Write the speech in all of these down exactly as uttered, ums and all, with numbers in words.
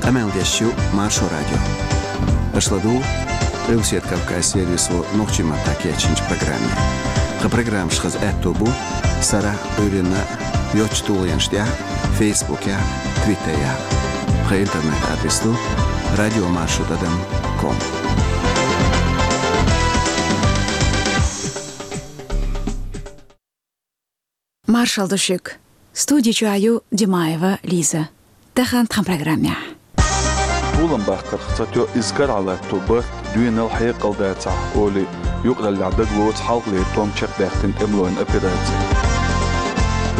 Къамел деш ю Маршо радио. Аша ладугӀу Къилбаседа Кавказан сервисо нохчийн маттахь кечйинчу программе. Тхан программаш хаза аьтто бу сарахь а, Ӏуьйранна а йоцчу тулгӀенаш тӀехь а, Фейсбукехь а, Твиттерехь а. Тхан интернет-адрес ду радиомаршо тӀадам ком. Маршалла ду шуьга. Студи чохь ю Димаева Лиза. Тахана тхан программехь. Пулам баккхарх ца тоьу иза карахь латто барт, доьналла хьекъал дацахь, олий, юкъараллехь дагалоцу хьалхалера тӀом чекхбаьхкина тӀемалойн операци.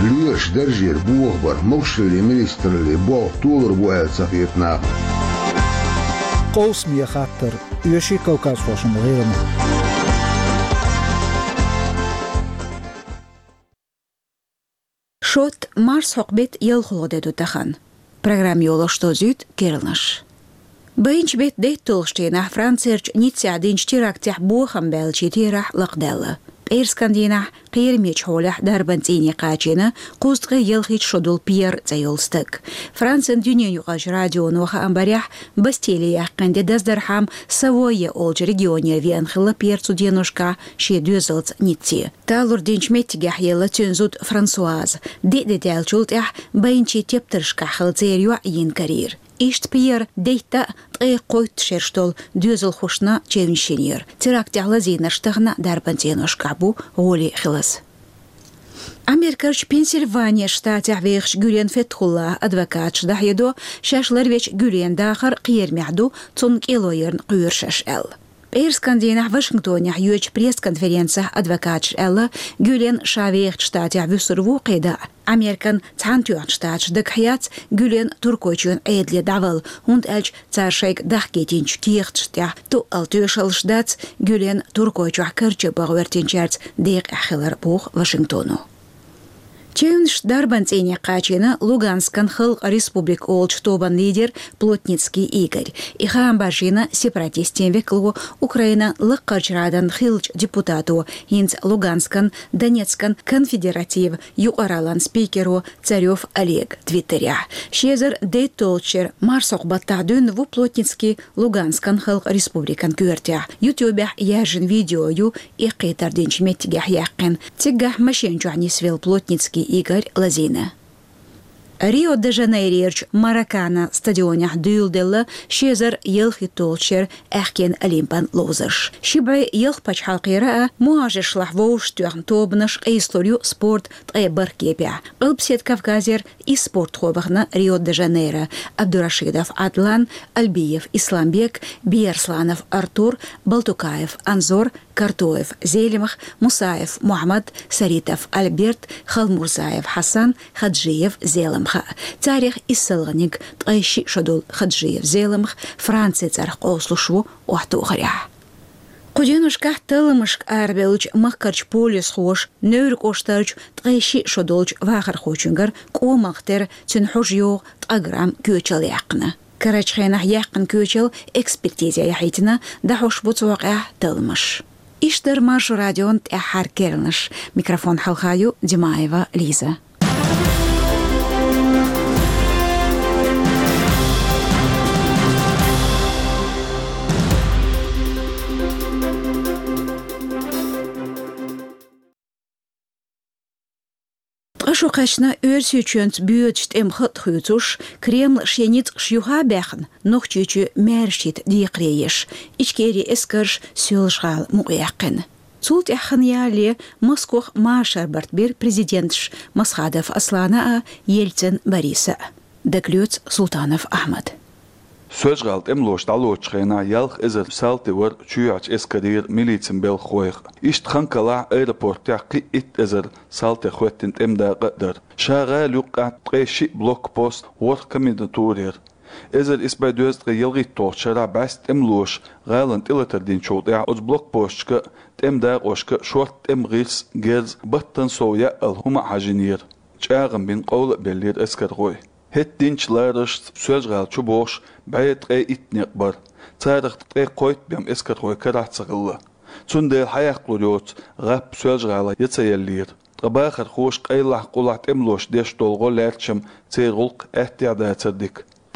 Лоьраш даржера бохабар, могушаллин министраллин болх толур бу аьлла ца хета нахана. Къовсаме хаттар, оьший кавказхошна гӀайгӀанах. Шот, марсхьокху беттан ялхалгӀа де ду тахана. Программа йолош дозуьйту керланаш. Байначу беттан дейтталгӀачу дийнахь Францерчу Ниццехь динчу терактехь бохам баьллачийн терахь лакхадаьлла. Пӏераскан дийнахь кхерамечу хьолехь дарбан цӀийне кхачийна кхузткъе ялхитта шо долу Пьер цӀе йолу стаг. Францин дуьненаюкъарчу радионо хаам барехь, Бастили яьккхина де даздархьама Савойя олучу регионера веана хилла Пьер цу деношкахь шен доьзалца Ницце. Талур динчу меттигехь елла цуьнан зуда Франсуаза. Диъ де даьллачул тӀаьхьа байначийн тептаршкахь хилла церан йоӀ йина карийра. Иштта Пьер дейтта а, ткъе кхойтта шераш долу доьзалхошна чевнаш йинера. Терактехь лазийнарш тахана дарбан цӀеношкахь бу гӀоле хиларца. Америкерчу Пенсильвания штатехь вехачу Гюлен Фетхуллахьан адвокаташа дӀахьедо, шаьш ларвечу Гюленан дахар кхерамехь ду, цунна кӀело ярна кхоьру шаьш аьлла. Пӏераскан дийнахь Вашингтонехь йоьдучу пресс-конференцехь адвокаташа аьлла, Гюлен ша вехачу штатехь вуьсур ву кхидӀа а. Американ Цхьаьнатоьхначу Штаташа дагахь яц Гюлен Туркойчоьнан Ӏедале дӀавала, хӀунда аьлча цара шайга дахкийтинчу кехаташна тӀехь тоъал тоьшаллаш дац Гюлен Туркойчохь карчо бан гӀоьртинчаьрца декъехь хилар, боху Вашингтоно. Чевнаш дарбан цӀийне кхачийна Луганскан халкъан республика олучу тобан лидер Плотницкий Игорь. И хаам баржийна сепаратистийн векало Украинан лаккхарчу Радан хиллачу депутато, хӀинца Луганскан, Донецкан конфедеративан юкъараллин спикеро Царёв Олега твиттерехь. Ши эзар дейтталгӀачу шеран марсхьокху баттахь дуьйна ву Плотницкий Луганскан халкъан республикан коьртехь. Ютубехь яьржина видео ю эккхийтар динчу меттигехь яьккхина. Цигахь машен чохь нисвелла Плотницкий Игорь лазийна. Рио-де-Жанейрерчу Маракана стадионехь дуьйладелла ши эзар ялхитталгӀачу шеран аьхкенан Олимпан ловзарш. Ши бӀе ялх пачхьалкхера а, мухӀажаршлахь вовшахтоьхна тобанаш къийсалур ю спортан ткъе бархӀ кепехь. Къилбаседа Кавказера исс спортхо вахана Рио-де-Жанейро: Абдурашидов Адлан, Альбиев Исламбек, Биярсланов Артур, Балтукаев Анзор, Картоев Зелимха, Мусаев Мухьаммад, Саритов Альберт, Халмурзаев Хьасан, Хаджиев Зеламха. Царех иссалгӀаниг, ткъе шиъ шо долу Хаджиев Зеламха, Францин цӀарах къовсалуш ву охьатохарехь. Кху деношкахь талламашка арабевллачу махкарчу полисхоша Невран кӀоштарчу ткъе шиъ шо долчу вахархочуьнгара кӀомах тера цуьнан хьожа йогӀу ткъа грамм коьчал яьккхина. Карарчу хенахь яьккхина коьчал экспертизе яхьийтина, дӀахьош бу цу хьокъехь талламаш. Иштта дара Маршо радион тӀаьххьара керланаш. Микрофон хьалха ю Димаева Лиза. Ткъа шо кхаьчна Оьрсийчоьнца боьдучу тӀеман хатӀ хуьйцуш, Кремль шен ницкъаш юха а баьхна, Нохчийчоь маьршачу хӀитан декхаре еш, Ичкерин эскарша Соьлжа-ГӀала мукъаяьккхина. Цул тӀаьхьа хан ялале Москох машар барт бира президенташа Масхадов Аслана а, Ельцин Бориса а. Дагалоьцу Султанов Ахьмада. Соьлжа-ГӀала тӀемалоша дӀалоцучу хенахь ялх эзар салти вара чоьхьарчу эскарера милицин белхахойх. Иштта хан калахь аэропортехь кхин а итт эзар салтех хӀоьттина тӀеман дакъа а дара. Ша гӀала юккъехь ткъе шиъ блокпост, ворхӀ комендатура яра. Эзар исс бӀе дезткъе ялхитталгӀачу шарахь бӀаьста тӀемалоша гӀалина тӀелатар динчул тӀаьхьа оцу блокпосташка а, тӀеман дакъошка а шортта тӀеман гӀирс, герз, баттана сов яъал хӀума а хьажийнера. ЧӀагӀам бина къовла а беллера эскархой. ХӀетахь динчу лараршца Соьлжа-ГӀала чу богӀуш бӀе ткъе итт некъ бара. Царах ткъе кхойтта бен эскархой карахь ца хилла. Цундела хьаяккхалур йоцу гӀап Соьлжа-ГӀалахь ян ца еллера. Ткъа бахархоша къайлахь-къулахь тӀемалоша деш долу гӀо лаьрчам церан гӀуллакх аьттехьа дацара дика.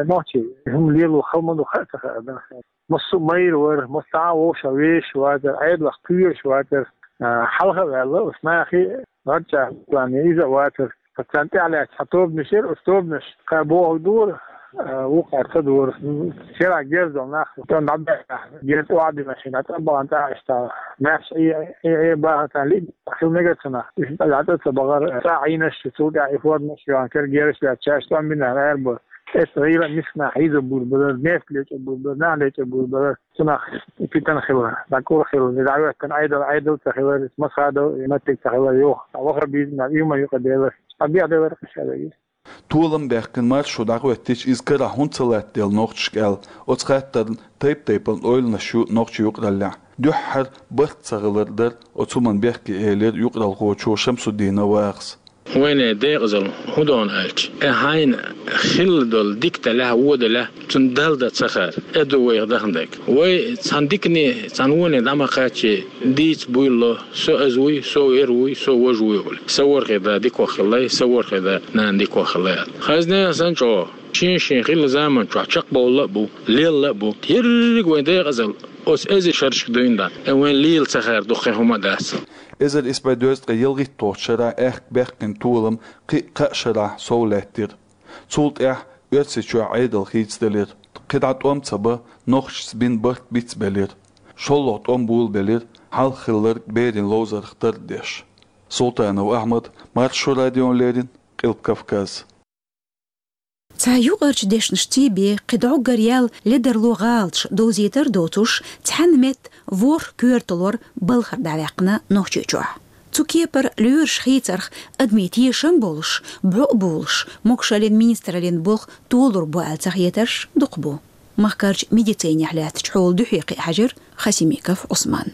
вай нохчий, хӀума лело хала ма ду, хаа ца хаа дан. Массо а майра вар, массо а вовшах вешаш вацар, Ӏедалах кхоьруш вацар, а, хьалха а ваьлла, уж нахи гӀарчӀа плане иза а вацар. Царна тӀехьа лаьцна цхьа тобанаш яр, уж тобанаш кхы бохург дора, а, вукхар ца дора. Шера герз дола нах, тӀом дӀабаьхкина, герз охьадина шина, тӀабахана тӀаккха иштта, маьрша Ӏе, Ӏе, Ӏе бахана лиъ хила мегар цунах. Уж дӀа ца бахар, цӀа Ӏийнаш, цул тӀехьа и формаш йоагӀна, кара герзаш лаьцна, шаьш тӀом бина аьлла бу. Эс гӀийла мискнахь хьийза бур бара, нефть лечӀа бур бара, нах лечӀа бур бара. Цунах питана хила, дӀакӀур хила, дӀахӀоьттина Ӏедал, Ӏедал ца хилар, масхадал, маттиг ца хилар, йоах. Ваха бийзина, юма юкъа делар. Абиха делар кхаша веги. Толам баьккхина маршо дӀахӀоьттича, иза карахь хӀунда ца латтаделла нохчашка аьлла, оцу хаттарна тайп-тайпана ойланаш ю нохчийн юкъараллехь. Дуьххьара барт ца хилар дара оцу хӀуманна бехке, элира юкъаралхочо Шамсуддинов Вахас. Вайна декъазалла хӀун ду аьлча, э, хьайна хилла долу дика далехь, вон далехь, цунна Далла дан ца хаар, э, ду вайх даханарг. Вай цхьана дикане, цхьана воне дӀа ма кхаччий, дийца буйлало, со из вуй, со вер вуй, со вож вуй олий. Са ворхӀе да дика ваха хилале, са ворхӀе да, нана дика ваха хилале аьлла. Хазна а санна чӀогӀа, шен-шен хилла заман чохь чекхбовла а бу, лелла а бу. Ерриг вайн декъазалла оцу эзар шерашка дуьйна дан, э, вайн лела ца хаар дукха хӀума а дац. Эзар исс бӀе дезткъе ялхитталгӀачу шарахь аьхка баьккхина толам кхин а кхаа шарахь сов лаьттира. Цул тӀаьхьа Оьрсийчохь Ӏедал хийцаделира. КхидӀа тӀом ца бан, нохчашца бина барт бицбелира. ШоллагӀа тӀом болабелира, хьалха хилларг берийн ловзарх тардеш. Султанов Ахьмад, Маршо радиона леррина, Къилба Кавказ. Цхьа юкъарчу дешнаш цӀий бе, кхин дӀоггар ял ледарло гӀалаташ довзийтар доцуш, цхьана метта ворхӀ коьрта лор балхара дӀаваьккхина Нохчийчохь. Цу кепара лоьраш хийцарх адамийн тешам болуш, бӀо а болуш, могашаллин министраллин болх толур бу аьлла цахетарш дукха бу. Махкарчу медицинехь лаьттачу хьолан дуьхье кхиа хьаьжира Хасимиков Ӏусман.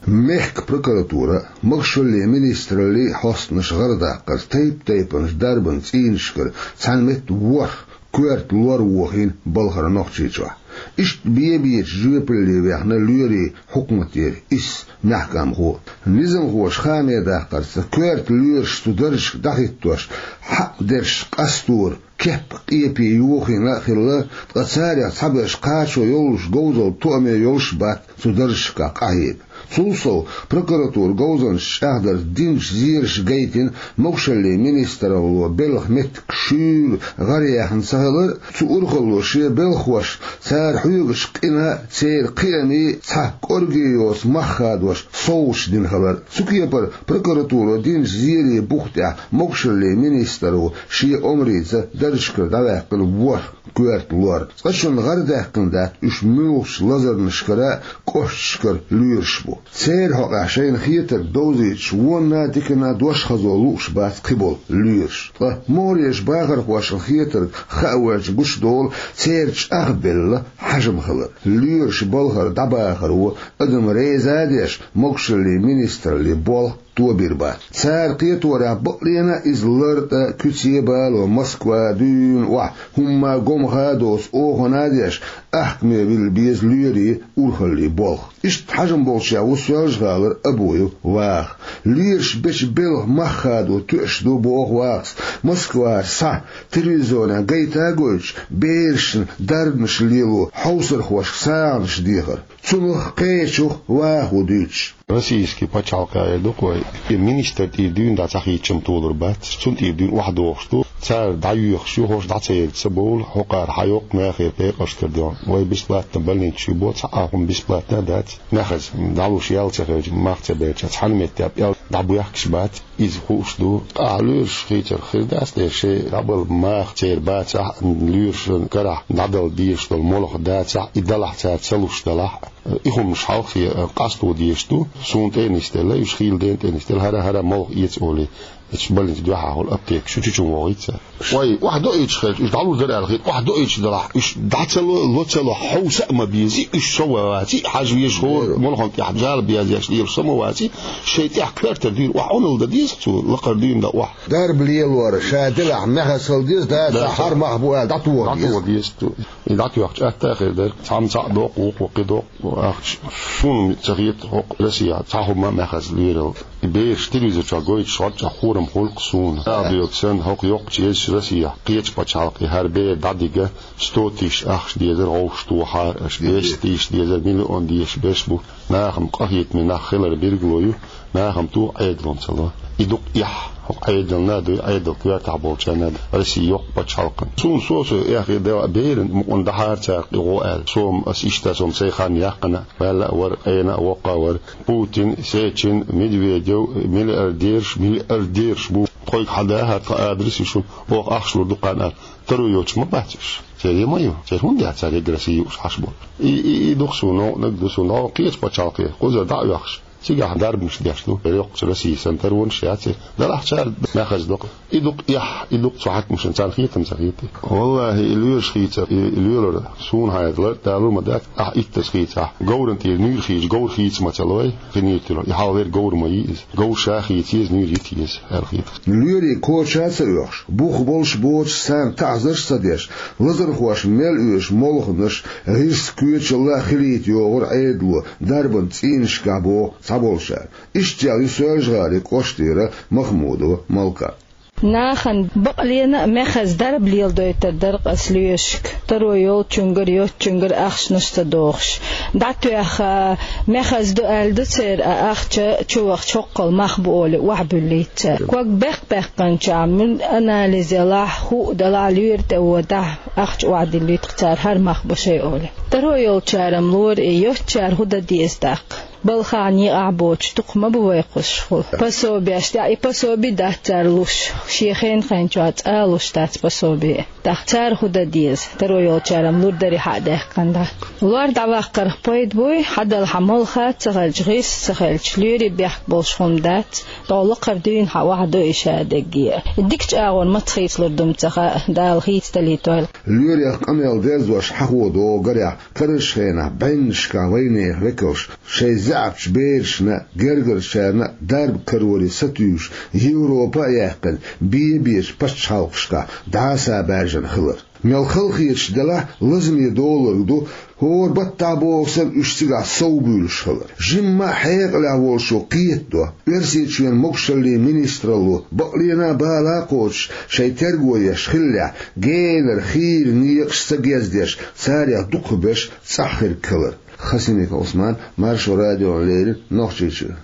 Мехкан прокуратура а, могашаллин министраллин а хьостанаш гӀарадаккхарца тайп-тайпанчу дарбан цӀийнашкара цхьана метта ворхӀ коьрта лор вохийна балхара Нохчийчохь. Иштта бе-бечу жоьпалле ваьхна лоьрийн хьукматера исс маьхкамхо. Низамхоша хааман даккхарца, коьрта лоьраш цу даржашка дӀахӀиттош, хьакъ дерш къастор, кеп-къепе йохийна а хилла, ткъа царех цхьаберш кхачо йолуш, говзалла тоаме йолуш бац цу даржашкахь къахьега. Цул сов, прокуратуран говзанчаша чӀагӀдарца динчу зераша гайтина могушаллин министралло белхан меттиг шуьйра гӀараяьхна ца хилар а, цу урхалло шен белхахошна цара хьоьгучу къинан а, церан кхиамийн а цхьа кӀорге йоцу мах хадош совгӀаташ дина хилар а. Цу кепара прокуратуро динчу зерийн бух тӀехь могушаллин министралло шен омрица даржашкара дӀаваьккхина ворхӀ коьрта лор. Цкъачунна гӀар даьккхина дац уьш муьлхачу лазарнашкара а, кӀошташкара лоьраш бу. Церан хьокъехь шайна хетарг довзуьйтуш вонна а, диканна а дош хазо лууш бац кхиболу лоьраш. Ткъа могӀарерчу бахархошна хетарг хаа воьлча гучудолу церан чӀагӀбелла хьежам хилар. Лоьраша балхара дӀабахаро адам реза а деш, могушаллин министраллин болх тобийр бац. Цара кхеторехь бакълена а иза лартӀа, куьце а бало, Москва дуьйна охьа, хӀумма а гомха а доцу охана а деш, ахкаме вилла беза лоьрийн урхаллин болх. Иштта хьежам болчех ву Соьлжа-ГӀалара Абуев Ваха. Лоьраша бечу белхан мах хадо тоьаш ду, боху Вахас, Москвара схьа телевизионехь гайта а гойтуш, берашна дарбанаш лело хьовсархошка сагӀанаш дехар. Цунах а, кхечух а Ваха ву дуьйцуш. Российский пачхьалкх эр ду-кх вай, и министр тӀера дуьйна дӀа ца хийцича-м толур бац, цунна тӀера дуьйна охьадохуш ду, цара дӀайоьхуш ю, хӀорш дӀа ца ерза ца бовла, хӀокхара хьайоккху мехера пекъашкара дуьйна. Вай бесплатно больницаш ю боху, цхьа а хӀума бесплатно а дац, мехаза дӀалуш ял ца хилча, мах ца белча, цхьана меттехь пӀелг дӀабоьхкуш бац, иза хууш ду. Ахь лоьраш хийцарх хир дац те, шайн дӀабала маха церан бацахь а, лоьрашна карахь дӀадала дезаш долу молха дацахь а, и далахь цара ца луш далахь а, и хӀуманаш хьалххе къасто дезаш ду, суна тӀе а нисделла, уьш хийла дена тӀе а нисделла, хӀара-хӀара молха эца олий, эцу больница дуьхьа хуьлу аптекаш, шу чу-чу вогӀийта цара. Вай, охьадоуьйтуш хилча, уьш дӀалур дара аьлла хета, охьадоуьйтуш далахь, уьш дӀа ца ло, ло ца ло, хьовса а ма беза, уьш со вац, хьажа веза хӀора молхана тӀехь жала безеш лелаш со ма вац, шайн тӀехь коьртара дуьйна охьа Ӏуналла дан деза цо, лакхара дуьйна дан охьа. Дарба лелор ша делахь, мехаза хила деза, да, да, цхьа хӀара мах бу аьлла, дӀатоха деза. ДӀатоха деза цо. И дӀатоьхча атта а хир дара, цхьамма цхьаъ доккху, вукхо кхин доккху ахча. Суна ца хета хӀокху Россехь цхьа хӀума а мехаза лоьрал. И бераш телевизор чохь гойтуш хьоьжча хорам хуьлу-кх суна. Ала доьгу санна, хӀокху йоккхачу езачу Россехь кхечу пачхьалкхе хӀара бер дӀадига сто тысяч ахча дезара гӀовшах тохахьара аша, двести тысяч дезара, миллион дезаш берш бу. Нахана къахетаме нах хилар билгало ю, нахана туха Ӏедална ца ло. И дукха эхь, хӀокху Ӏедална а дуй, Ӏедалан коьртехь болчарна а дуй, Россин йоккха пачхьалкхана. Суна сов-сов эхь хир дара, беран мукъана дахьара цара кхин гӀо аьлла. Со-м, ас иштта, со-м сайн хан яьккхина а, ваьлла а вара, къена а, воккха а вара. Путин, Сечин, Медведев, миллиардераш, миллиардераш бу. Тхойга хьан дахар, тхан адрес ю шуна, оха ахча лур ду кхарна аьлла. Таро йоцуш ма бац уьш. Церан ма ю. Церан хӀунда яц цара эггара сий юуш хьаш бу? И, и, и ду-кх суна, новкъаниг ду суна, новкъа кхечу пачхьалкхе кхузара дӀа а оьхуш, цигахь дарбанаш деш ду. Йоккхачу Россин санна таронаш яц. Далахь цара мехаза доккху. И дукха эхь, и дукха цу хьаькамашна царна хетам ца хета. Валлахи, и лоьраш хийцар, и, и лоьлар суна хьайна лартӀа далур ма дац, ахь иттаза хийцахь. Говран тӀера нуьйр хийча, говр хийца ма ца лой, кхин нуьйр тӀера. И хьалха верг говр ма йий иза. Говр ша хийца еза, нуьйр йита еза, аьлла хийца. Лоьрийн коча а ца оьхуш, бух болуш боцуш, царна таӀзарш а ца деш, лазархошна мел оьшу молханаш, гӀирс, коьчалла а хилийта йогӀура Ӏедало, дарбан цӀийнашкахь, боху цхьаболчара. Иштта ю Соьлжа-ГӀалин кӀоштара Махмудова Малка. Нахана бакълена а мехаза дарба леладойтур дара-кх ас лоьрашка, таро йолчуьнгара, йоцчуьнгара ахчанаш ца дохуш. ДӀатоьхна, мехаза ду аьлла ду церан, а ахча чу вахча хӀоккхул мах бу олий, охьабуьллийта цара. Ког беккъа-беккханчохь, муьлха анализ ялахь, хӀуъа далахь, лоьра тӀе водахь, ахча охьадиллуьйту-кх цара, хӀара мах бу шайн олий. Таро йолчара-м лора и, йоцчара хӀун дан деза тӀаккха? Балхахь, некъахь боцуш дукха ма бу вай кхуссуш хуьлу. Пособеш, тӀе и пособи дац цара луш, шен хен-хен чохь цкъа а луш дац пособи. ТӀаккха цара хӀун дан деза? Таро йолчара-м лур дарий хьа а даьккхина дӀа. Лор дӀаваккхарх пайда буй, хьадала хьан молха а ца хилча, гӀирс а ца хилча, лоьрийн бехк болуш хӀума дац, тхо лакхара дуьйна хьан охьадо и ша дегге. Дикачу агӀор маца хийцалур ду-м ца хаьа, Дала хийцадалийтойла. Лоьрех къамел дерзош хьахо догӀу гарехь, карарчу хенахь бӀеннашкахь вайнехан векалш шайн заьӀапчу берашна а, гергарчарна а дарба кароре сатуьйсуш, Европа а яьккхина, бен-бечу пачхьалкхашкахь дӀаса баьржина хилар. Мел халахеташ делахь, лазаме долург ду, хӀора баттахь боху санна, уьш цигахь совбуьйлуш хилар. Жимма а хьекъалехь волчо кхетадо, Оьрсийчоьнан могушаллин министралло бакълена а, бала а кхочуш, шайн терго еш хиллехь, генара хийра некъаш ца гездеш, царех дукхахберш цӀахь хирг хилар. Хасимиков Ӏусман, Маршо радиона леррина Нохчийчуьра.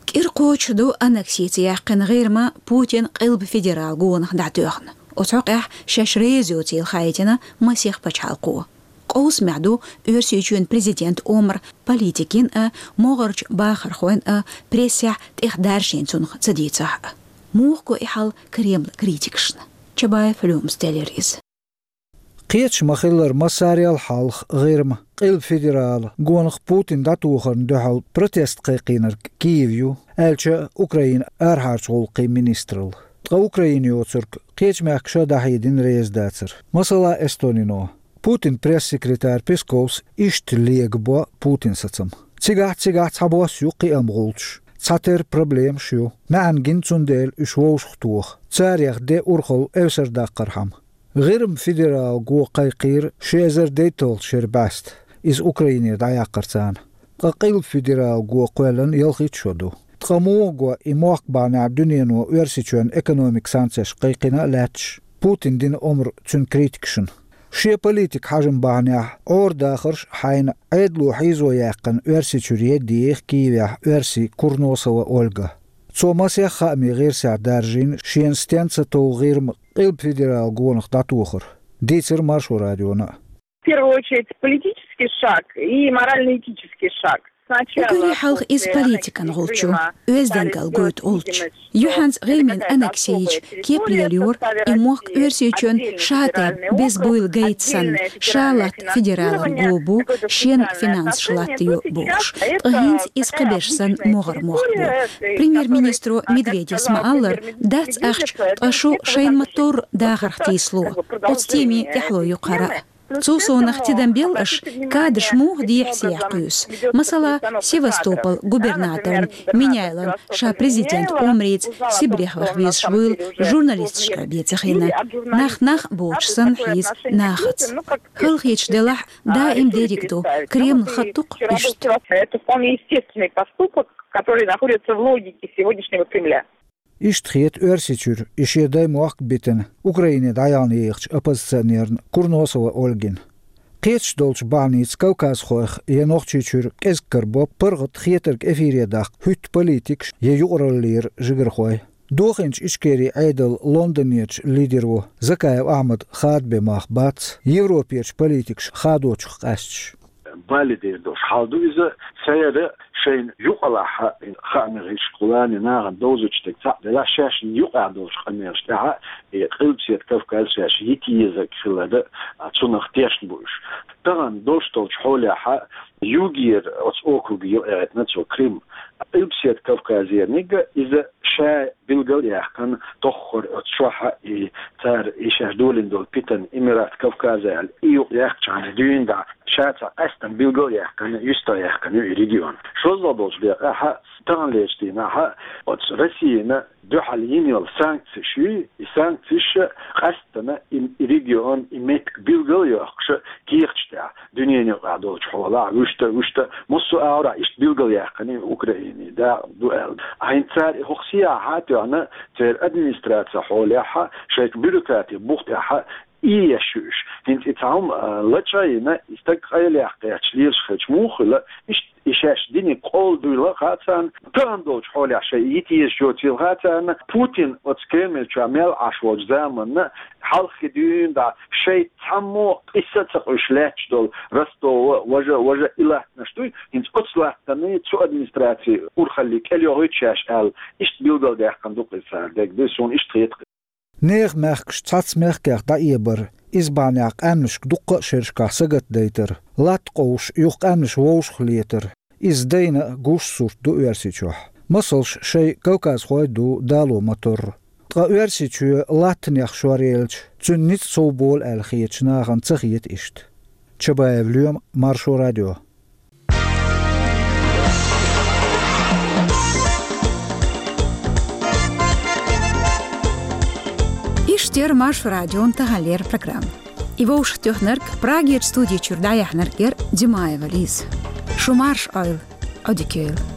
КӀира кхочуш ду аннексий ца яьккхина ГӀирма Путина Къилба федерал гонах дӀатоьхна. Оцу хьокъехь шаьш реза йоцийла хаийтина масех пачхьалкхо. Къовсамехь ду Оьрсийчоьнан президентан омра политикийн а, могӀарчу бахархойн а прессехь тӀехь даржийна цунах ца дийцахь а. Муха го и хьал Кремлан критикашна? Чабаев Лёмас теллира иза. Кхеташ ма-хиллара, массарел хьалха ГӀирма Къилба федерала гонах Путина дӀатохарна дуьхьал протест кхайкхийнарг Киев ю, аьлча Украинан арахьарчу гӀуллакхийн министралла. Ткъа Украина йоцург кхечу мехкаша дӀахьедина реза дацар. Масала, Эстонино. Путинан пресс-секретарь Песковс иштта легабо Путинан сацам. Цигахь, цигахь цхьабосса ю кхиам гӀулчаш. Цхьатерра проблемаш ю. МаьӀна гина цундела уьш вовшахтоха. Царех де урхалла эвсар даккхархьама. ГӀирма федерала го кхайкхийра ши эзар дейтталгӀачу шеран бӀаьста. Иза Украинера дӀаяккхар царна. Ткъа Къилба федерала го кхоьллина ялхитта шо ду. Ткъа муха го и мохк бахьанехь дуьнено Оьрсийчоьнна экономикан санкцеш кхайкхина а лаьтташ, Путина дина омра цуьнан критикашна? Шен политикан хьежам бахьанехь Ӏора дахарш а хьайна Ӏедало хьийзо яьккхина Оьрсийчуьра едда еха Киевехь оьрси Курносова Ольга. Цо масех хаамийн гӀирсехь даржийна шена стенна ца тов ГӀирма Къилба федерала гонах дӀатохар. Дийцира Маршо радиона а. В первую очередь, политический шаг и морально-этический шаг. Уггаре хьалха иза политикан гӀулч ю, оьздангалла гойту гӀулч. Юьхьанца ГӀирмин аннексийча кепара яла йора и мохк Оьрсийчоьнан ша тӀе беза буйла гайта санна, ша латта федералан го бу, шен финансаш латтайо бохуш. Ткъа хӀинца иза кхиберш санна могӀара мохк бу. Премьер-министро Медведевс ма-аллара, дац ахча, ткъа шу шайна ма-торра дахарх тийсало. Оцу теме тӀаьхьало ю хӀара а. Цул совнах тидам белла аша, кадраш муха дехьа-сехьа кхуьйсу. Масала, Севастополан губернаторна Меняйловна ша президентан омрица Сибрехь ваха везаш вуйла журналисташкара бен ца хиъна. Нах нах а боцуш санна хьийза нахаца. ХӀаллакьхеташ делахь а, даим дерриг ду, Кремлан хатта ду-кх иштта. Это вполне естественный поступок, который находится в логике сегодняшнего Кремля. Иштта хета Оьрсийчуьра и шен даймохк а битина Украине дӀаяхна ехачу оппозиционерна Курносова Ольгина. Кхеташ долчу бахьаница кавказхойх я Нохчийчуьра кӀезиг карабо паргӀат хетарг эфире даккха хӀуьтту политикаш я юкъараллера жигархой. Дохийначу Ичкерин Ӏедалан Лондонерчу лидеро Закаев Ахьмада хадабен мах бац Европерчу политикаша хадочух къаьсташ. Бале дер долуш хьал ду иза, церан шайна юкъалахь хаамийн гӀирсашкахула нахана довзуьйтуш дерг цхьаъ делахь, шаьшна юкъахь долчу къамелаш тӀехь и Къилбаседа Кавказ шаьш йита езарг хилар, цунах тешна бу уьш. Тахана долуш долчу хьолехь югера оцу округе юкъаэцна цо Крым. Къилбаседа Кавказерниг иза ша билгал а яьккхина, тоххара оцу чохь и цара и шаьш долийна долу питана Эмират Кавказа аьлла, и юкъаяьккхичхьана дуьйна дӀа ша цхьа къаьстина билгал а яьккхина, юьстах яьккхина ю и регион. ШозлагӀа долчу декъехь, таханлерчу дийнахь, оцу Россина дуьхьал йина йолу санкцеш ю, и санкцеш къаьстина и, и регион, и меттиг билгал а йоккхуш кехаташ тӀехь. Дуьненан юкъахь долчу хьолахь, вуьшта, вуьшта, массо а агӀорахь иштта билгал яьккхина Украине дакъа ду аьлла. ХӀинца цара и хӀокху сехьа а тоьхна, церан администраци хьолехь шайга бюрократи бух тӀехь ийеш ю уьш. ХӀинца и цхьа хӀума, а, лачкъа а йина, и стаг къайлаяккха гӀерташ лелаш хилча муха хуьлу, иштта и шаьш диниг къола дуйла а хаьа царна, тахана долчу хьолехь шайн йита езаш йоцийла хаьа царна, Путин оцу Кремль чохь мел Ӏаш волчу заманна, хьалххе дуьйна дӀа шайн цхьаммо а къийса а ца къуьйсуш лаьтташ долу Ростова, важа, важа и латтанаш дуй, хӀинца оцу латтанийн цу администрацин урхалле кӀел йохуьйту шаьш аьлла, иштта билгалдаьккхина ду-кх иза цара дерг, дуй, суна иштта хета-кх. Нехан мехкаш цхьацца мехкех дӀаэбар, иза бахьанехь къаьмнашка дуккха а шерашкахь сагатдайтар, латта къовсуш юха къаьмнаш вовшахлетар, иза дайна а гуш сурт ду Оьрсийчохь. Масалш шайн кавказхой а ду дало ма-торра. Ткъа Оьрсийчоь латтанех шоръелча, цуьнан ницкъ совболу аьлла хетачу нахана ца хета иштта. Чабаев Лоьма, Маршо радио. Иштта яра Маршо радион таханлера программа. И вовшахтоьхнарг, Прагерчу студи чуьра дӀаяьхьнарг яра Димаева Лиза. Шу марша Ӏойла, Ӏодика йойла.